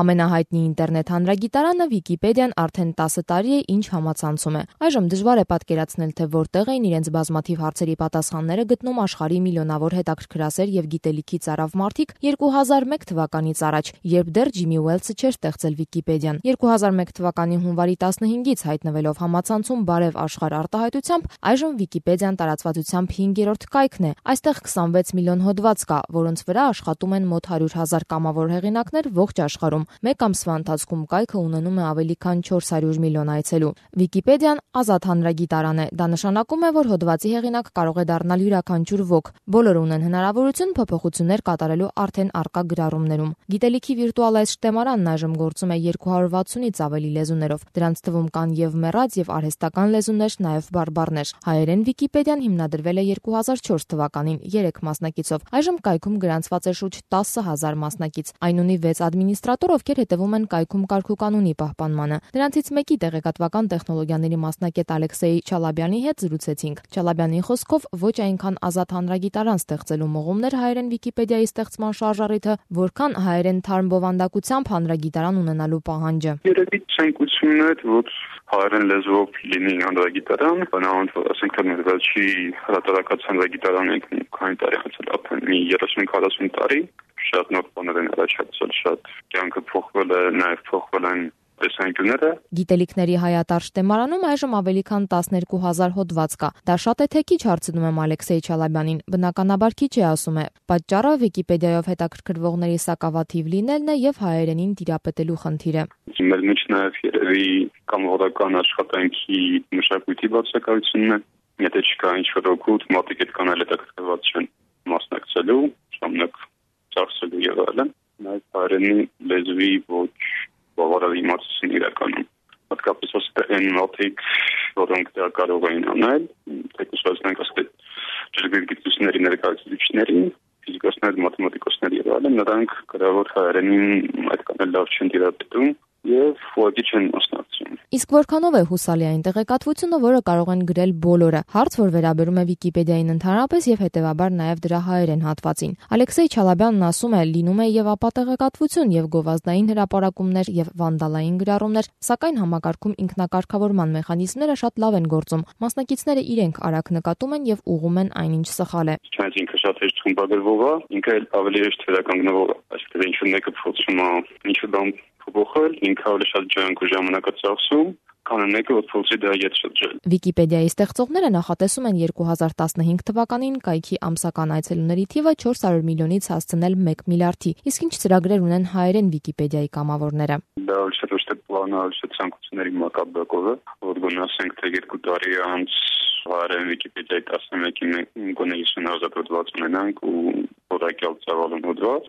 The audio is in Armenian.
Ամենահայտնի ինտերնետ հանրագիտարանը Վիկիպեդիան արդեն 10 տարի է ինչ համացանցում է։ Այժմ դժվար է պատկերացնել, թե որտեղ էին իրենց բազմաթիվ հարցերի պատասխանները գտնում աշխարհի միլիոնավոր հետաքրքրասեր եւ գիտելիքի ծարավ մարդիկ 2001 թվականից առաջ, երբ դեռ Ջիմի Ուելսը չէր ստեղծել Վիկիպեդիան։ 2001 թվականի հունվարի 15-ից հայտնվելով համացանցում Բարև աշխարհ արտահայտությամբ, այժմ Վիկիպեդիան տարածվածությամբ 5-րդ կայքն է։ Այստեղ 26 միլիոն հոդված կա, որոնց վրա աշխատում են մոտ 100,000 կամավոր հեղինակներ ողջ աշխարհում։ Մեկ ամսվա ընթացքում կայքը ունենում է ավելի քան 400 միլիոն այցելու։ Վիկիպեդիան ազատ հանրագիտարան է։ Դա նշանակում է, որ հոդվածի հեղինակ կարող է դառնալ յուրաքանչյուր ոք։ Բոլորը ունեն հնարավորություն փոփոխություններ կատարելու արդեն առկա գրառումներում։ Գիտելիքի վիրտուալ այս շտեմարանն այժմ գործում է 260-ից ավելի լեզուներով։ Դրանց թվում կան եւ մեռած եւ արհեստական լեզուներ, նաեւ բարբառներ։ Հայերեն Վիկիպեդիան հիմնադրվել է 2004 թվականին 3 մասնակիցով։ Այժմ կայքում գրանցված է շուրջ 10,000 մասնակից։ Այն ունի 6 ադմինիստրատոր, ովքեր հետևում են կայքում կարգուկանոնի պահպանմանը։ Դրանցից մեկի տեղեկատվական տեխնոլոգիաների մասնակետ Ալեքսեյ Չալաբյանի հետ զրուցեցինք։ Չալաբյանի խոսքով ոչ այնքան ազատ հանրագիտարան ստեղծելու մղումներ հայերեն Վիկիպեդիայի ստեղծման շարժառիթը, որքան հայերեն թարմ բովանդակությամբ հանրագիտարան ունենալու պահանջը։ Երևի ցանկությունն է, որ հայերեն լեզվով լինի հանրագիտարան, բնականաբար, ասենք թե մեր վերջի հրատարակած հանրագիտարանը քանի տարի անցել, արդեն մի 30-40 տարի, շատ նոր բաներ են առաջացել, շատ կյանքը փոխվել է, նաև փոխվել են տեսանկյունները։ Գիտելիքների հայատար շտեմարանում այժմ ավելի քան 12,000 հոդված կա։ Դա շատ է թե քիչ, հարցնում եմ Ալեքսեյ Չալաբյանին։ Բնականաբար քիչ է, ասում է։ Պատճառը Վիկիպեդիայով հետաքրքրվողների սակավաթիվ լինելն է եւ հայերենին տիրապետելու խնդիրը։ Մեր մեջ նաև երևի կամավորական աշխատանքի մշակույթի բացակայությունն է։ Եթե չկա ինչ-որ օգուտ, մարդիկ այդքան էլ հետաքրքրված չեն մասնակցելու, ժամանակ ծախսելու եւ այլն։ Նաև հայերենի լեզվի ոչ բավարար իմացություն իրականում։ Հատկապես այն մարդիկ, որոնք դա կարող են անել, թեկուզ ասենք ջրգիտությունների ներկայացուցիչների, ֆիզիկոսներ, մաթեմատիկոսներ եւ այլն, նրանք գրավոր հայերենին այդքան էլ լավ չեն տիրապետում եւ ոչինչ չեն մասնակցում։ Իսկ որքանով է հուսալի այն տեղեկատվությունը, որը կարող են գրել բոլորը։ Հարց, որ վերաբերում է Վիկիպեդիային ընդհանրապես եւ հետեւաբար նաեւ դրա հայերեն հատվածին։ Ալեքսեյ Չալաբյանն ասում է, լինում է եւ ապատեղեկատվություն, եւ գովազդային հրապարակումներ, եւ վանդալային գրառումներ, սակայն համակարգում ինքնակարգավորման մեխանիզմները շատ լավ են գործում։ Մասնակիցները իրենք արագ նկատում են եւ ուղղում են այնինչ սխալ է։ Չնայած ինքը շատ հեշտ խմբագրվող է, ինքը ավելի հեշտ վերականգնվող է, այսինքն ինչ մեկը փոխում է, ինչ-որ բան փոխել, ինքը ավելի շատ ջանք ու ժամանակ է ծախսում, քան մեկը, որ փորձի դա ետ շրջել։ Վիկիպեդիայի ստեղծողները նախատեսում են 2015 թվականին կայքի ամսական այցելուների թիվը 400 միլիոնից հասցնել 1 միլիարդի։ Իսկ ինչ ծրագրեր ունեն հայերեն Վիկիպեդիայի կամավորները։ Դա ոչ թե պլանալ ցանկությունների մակաբակով է, որ գոնե ասենք թե 2 տարի անց հայերեն Վիկիպեդիայի 11-ին գոնե 50,000 հոդված ունենանք ու որակյալ ծավալուն հոդված,